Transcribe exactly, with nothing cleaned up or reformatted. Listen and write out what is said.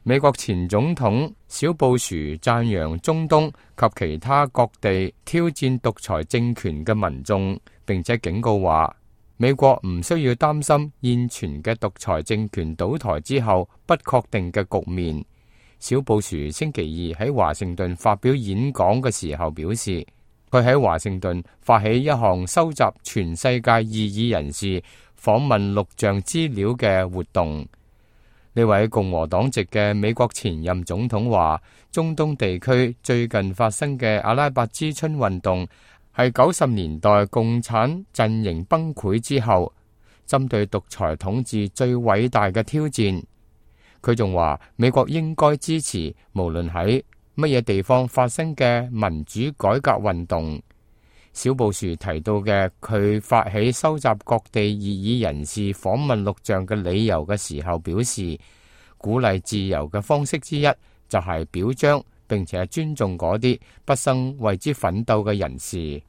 美國前總統小布殊讚揚中東及其他各地挑戰獨裁政權嘅民眾，並且警告話，美國唔需要擔心現存嘅獨裁政權倒台之後不確定嘅局面。小布殊星期二喺華盛頓發表演講嘅時候表示，佢喺華盛頓發起一項收集全世界異議人士訪問錄像資料嘅活動。呢位共和黨籍嘅美國前任總統話，中東地區最近發生嘅阿拉伯之春運動係九十年代共產陣營崩潰之後，針對獨裁統治最偉大嘅挑戰。佢仲話，美國應該支持無論喺乜嘢地方發生嘅民主改革運動。小布殊提到嘅佢發起收集各地異議人士訪問錄像嘅理由嘅時候表示，鼓勵自由嘅方式之一就係表彰並且尊重嗰啲畢生為之奮鬥嘅人士。